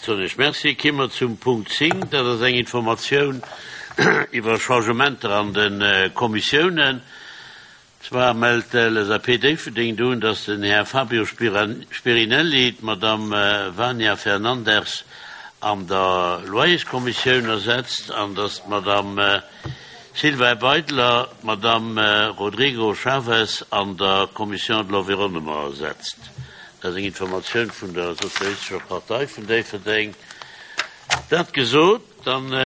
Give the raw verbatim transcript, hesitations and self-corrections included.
Soen ech Merci. Ki mer zum Punkt zéng, dat ass eng Informatioun iwwer Changementer an de Kommissiounen. Zwar mellt d'L S A P Déifferdeng un, dass den Här Fabio Spirinelli d'Madame Vania Fernandes an der Loyerskommissioun ersetzt an dass d'Madame Sylvain Beidler d'Madame Rodrigo Chavez an der Commission de l'Environnement ersetzt. Dat ass eng Informatioun vun der Sozialistescher Partei vun Déifferdeng. Dat gesot, dann